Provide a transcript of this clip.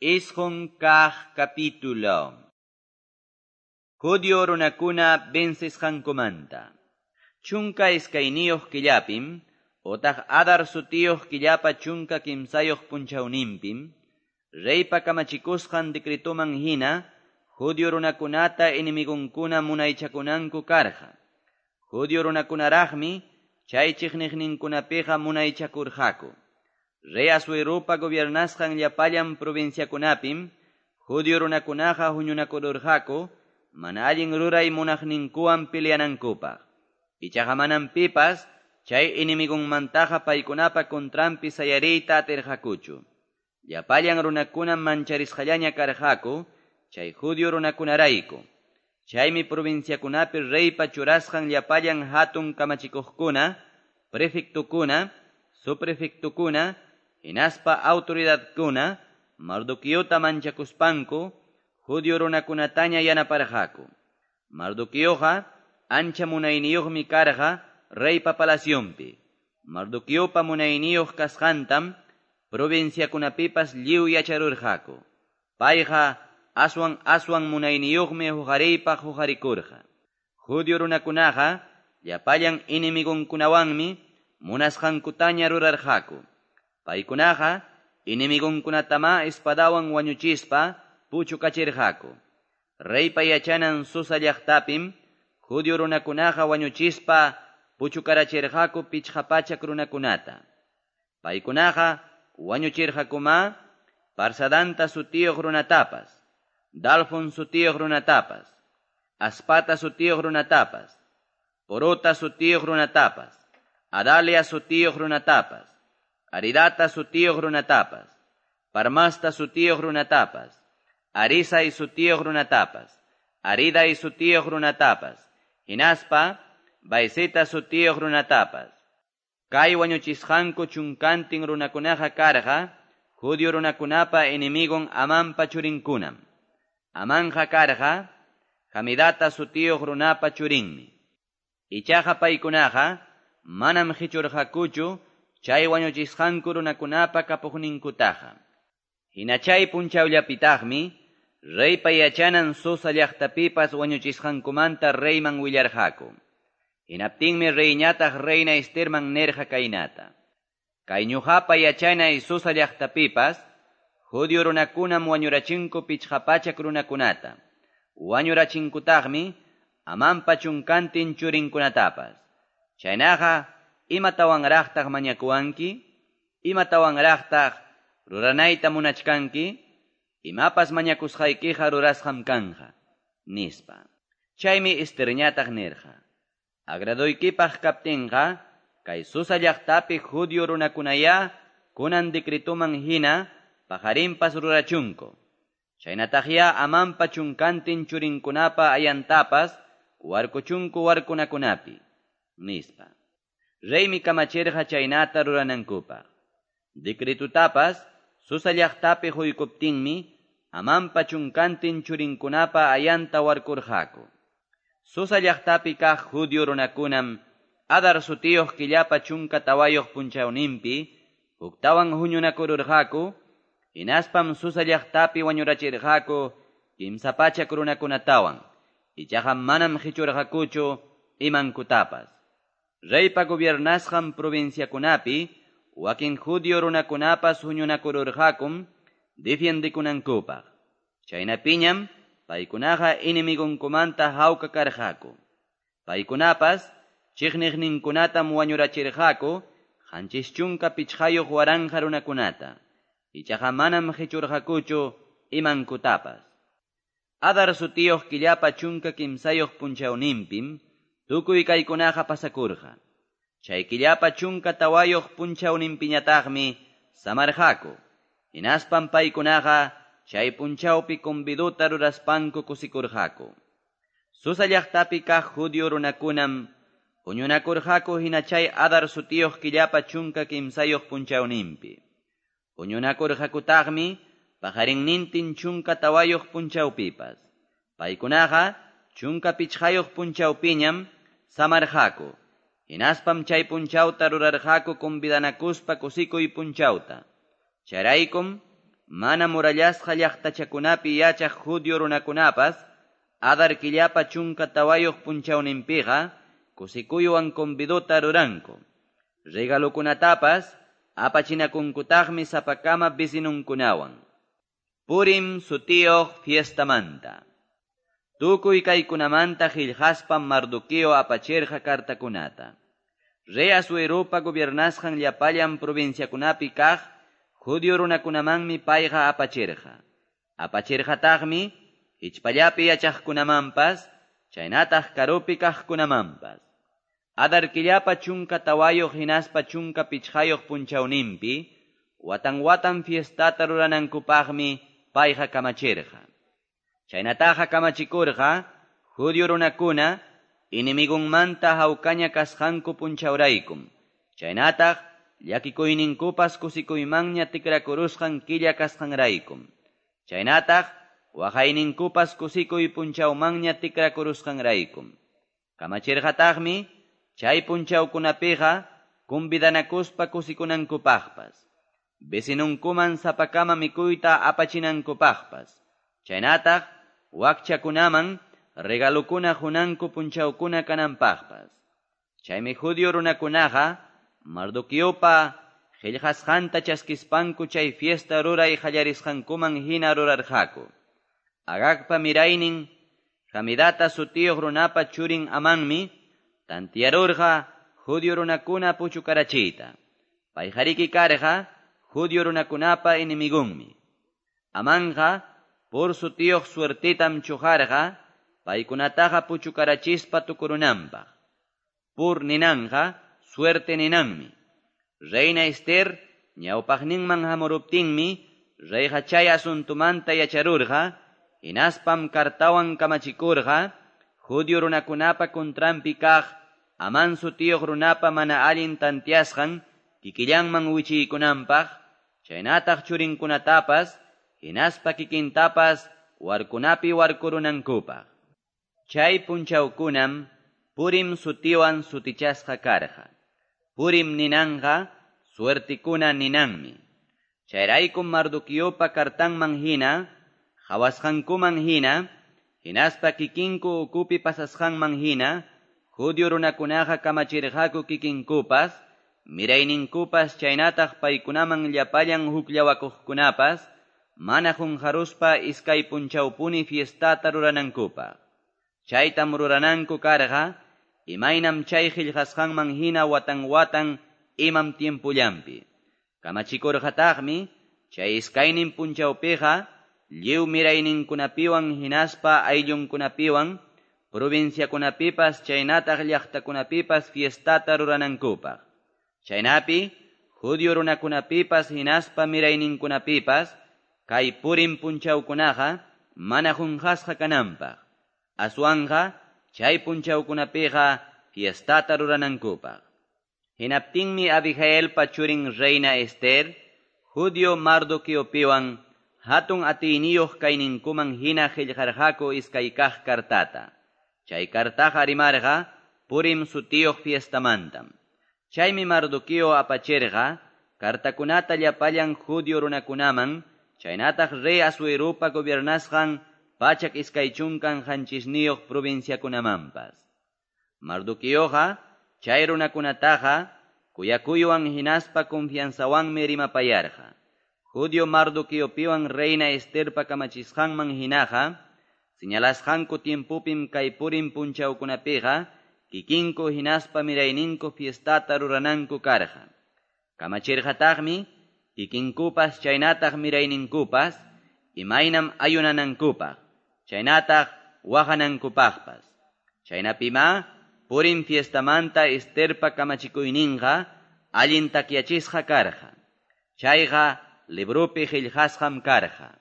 9 kaq capítulo. Judio runakuna vencesqankumanta. 12 killapim, otaq Adar sutiyuq killapa 13 punchawninpim, reypa kamachikusqan decretoman hina, judio runakunata enemigunkuna munaychakunanku karqa. Judio runakunaraqmi chay chiqniqninkunapiqa munaychakurqaku. Rey Asuerupa gobiernasqan llapallan provinciakunapim, judio runakunaqa huñunakururqaku, mana allin ruray munaqninkuwan peleanankupaq. Ichaqa manam pipas chay enemigunmantaqa paykunapa contranpi sayariyta atirqakuchu. Llapallan runakunam mancharisqallaña karqaku chay judio runakunarayku. Chaymi provinciakunapi reypa churasqan llapallan hatun kamachikuqkuna, prefectukuna, subprefectukuna, hinaspa autoridadkuna, Mardoqueota manchakuspanku, judio runakunataña yanaparqaku. Mardoqueoqa ancha munayniyuqmi karqa reypa palacionpi. Mardoqueopa munayniyuq kasqantam provinciakunapipas lliw yacharurqaku. Payqa aswan aswan munayniyuqmi huqariypaq huqarikurqa. Judio runakunaqa llapallan enemigunkunawanmi munasqankutaña rurarqaku. Paykunaqa enemigunkunatama espadawan wañuchispa puchukachirqaku. Reypa yachanan Susa llaqtapim judio runakunaqa wañuchispa puchukarachirqaku 500 runakunata. Paykunaqa wañuchirqakuma Parsadanta sutiyuq runatapas, Dalfon sutiyuq runatapas, Aspata sutiyuq runatapas, Porota sutiyuq runatapas, Adalia sutiyuq runatapas, Aridata sutiyuq runatapas, Parmasta sutiyuq runatapas, Arisai sutiyuq runatapas, Aridai sutiyuq runatapas, hinaspa Vaizeta sutiyuq runatapas. Kay wañuchisqanku chunkantin runakunaqa karqa, judio runakunapa enemigon Amanpa churinkunam. Amanja karqa, Hamidata sutiyuq runapa churinmi. Ichaqa paykunaqa manam qichurqakuchu chay wañuchisqanku runakunapa kapuqninkutaqa. Hina chay punchawllapitaqmi, reypa yachanan Susa llaqtapipas wañuchisqankumanta reyman willarqaku. Hinaptinmi reyñataq reina Esterman nirqa kaynata: Kay ñuqapa yachanay Susa llaqtapipas, judio runakunam wañurachinku 500 runakunata. Wañurachinkutaqmi Amanpa chunkantin churinkunatapas. Chaynaqa, imatawanraqtaq mañakuwanki? Imatawanraqtaq ruranayta munachkanki? Imapas mañakusqaykiqa rurasqam kanqa, nispa. Chaymi Esterñataq nirqa: Agradoykipaq kaptinqa, kay Susa llaqtapi judio runakunaya kunan decretoman hina paqarinpas rurachunku. Chaynataqya Amanpa chunkantin churinkunapa ayantapas warkuchunku warkunakunapi, nispa. Reymi kamachirqa chaynata ruranankupaq. Decretutapas Susa llaqtapi huykuptinmi Amanpa chunkantin churinkunapa ayanta warkurqaku. Susa llaqtapi kaq judio runakunam Adar sutiyuq killapa 14 punchawninpi huktawan huñunakururqaku, hinaspam Susa llaqtapi wañurachirqaku 300 runakunatawan, ichaqa manam qichurqakuchu imankutapas. Reypa gobiernasqan provinciakunapi wakin judio runakunapas huñunakururqakum defiendikunankupaq. Chaynapiñam paykunaqa enemigunkumanta hawka karqaku. Paykunapas chiqniqninkunatam wañurachirqaku 75,000 runakunata. Ichaqa manam qichurqakuchu imankutapas. Adar sutiyuq killapa 13 punchawninpim tukuy kaykunaqa pasakurqa. Chay killapa 14 punchawninpiñataqmi samarqaku. Hinaspam paykunaqa chay punchawpi convidota ruraspanku kusikurqaku. Susa llaqtapi kaq judio runakunam huñunakurqaku hina chay Adar sutiyuq killapa 13 punchawninpi. Huñunakurqakutaqmi paqarinnintin 14 punchawpipas. Paykunaqa 15 punchawpiñam samarqaku. Hinaspam chay punchawta rurarqaku convidanakuspa kusikuy punchawta. Chayraykum mana murallasqa llaqtachakunapi yachaq judio runakunapas Adar killapa 14 punchawninpiqa kusikuywan convidota ruranku. Regalokunatapas apachinakunkutaqmi sapakama vecinunkunawan. Purim sutiyuq fiestamanta. Tukuy kaykunamanta qillqaspam Mardoqueo apachirqa kartakunata. Rey Asueropa gobiernasqan llapallan provinciakunapi kaq judio runakunamanmi payqa apachirqa. Apachirqataqmi hichpallapi yachaqkunamanpas, chaynataq karupi kaqkunamanpas. Adar killapa 14 hinaspa 15 punchawninpi, watan watan fiestata ruranankupaqmi payqa kamachirqa. Chaynataqa kamachikurqa judio runakuna enemigunmanta hawkaña kasqanku punchawraykum. Chaynataq llakikuyninkupas kusikuymanña tikrakurusqan killa kasqanraykum. Chaynataq waqayninkupas kusikuy punchawmanña tikrakurusqanraykum. Kamachirqataqmi chay punchawkunapiqa convidanakuspa kusikunankupaqpas, vecinunkuman sapakama mikuyta apachinankupaqpas, chaynataq wakchakunaman regalukuna qunanku punchawkuna kananpaqpas. Chaymi judio runakunaqa Mardoqueopa qillqasqanta chaskispanku chay fiesta ruray qallarisqankuman hina rurarqaku. Agagpa miraynin Hamidata sutiyuq runapa churin Amanmi tantiarurqa judio runakuna puchukarachiyta. Payqariki karqa judio runakunapa enemigunmi. Amanqa Pur sutiyuq suertitam chuqarqa paykunataqa puchukarachispa tukurunanpaq. Pur ninanqa suerte ninanmi. Reina Esther ñawpaqninman hamuruptinmi reyqa chay asuntumanta yacharurqa hinaspam kartawan kamachikurqa judio runakunapa contranpi kaq Amán sutiyuq runapa mana allin tantiasqan kikillanman wichiykunanpaq, chaynataq churinkunatapas hinaspa kikintapas warkunapi warkurunankupaq. Chay punchawkunam Purim sutiwan sutichasqa karqa. Purim ninanqa suertikuna ninanmi. Chayraykum Mardoqueopa kartanman hina, qhawasqankuman hina, hinaspa kikinku ukupi pasasqanman hina, judio runakunaqa kamachirqaku kikinkupas, mirayninkupas chaynataq paykunaman llapallan hukllawakuqkunapas, mana qunqaruspa iskay punchawpuni fiestata ruranankupaq. Chaytam rurananku karqa, imaynam chay qillqasqanman hina watan watan imam tiempullanpi. Kamachikurqataqmi chay iskaynin punchawpiqa lliw mirayninkunapiwan hinaspa ayllunkunapiwan provinciakunapipas chaynataq llaqtakunapipas fiestata ruranankupaq. Chaynapi judio runakunapipas hinaspa mirayninkunapipas kay Purim punchawkunaqa mana qunqasqa kananpaq. Aswanqa chay punchawkunapiqa fiestata ruranankupaq. Hinaptinmi Abigailpa churin reina Esther, judio Mardoqueopiwan hatun atiyniyuq kayninkuman hina qillqarqaku iskay kaq kartata. Chay kartaqa rimarqa Purim sutiyuq fiestamantam. Chaymi Mardoqueo apachirqa kartakunata llapallan judio runakunaman, chaynataq rey Asueropa gobiernasqan 127 provinciakunamanpas. Mardoqueoqa chay runakunataqa kuyakuywan hinaspa confianzawanmi rimapayarqa. Judio Mardoqueopiwan reina Esterpa kamachisqanman hinaqa, señalasqanku tiempupim kay Purim punchawkunapiqa kikinku hinaspa mirayninku fiestata rurananku karqa. Kamachirqataqmi kikinkupas chaynataq mirayninkupas imaynam ayunanankupaq, chaynataq waqanankupaqpas. Chaynapima Purim fiestamanta Esterpa kamachikuyninqa allin takyachisqa karqa. Chayqa librupi qillqasqam karqa.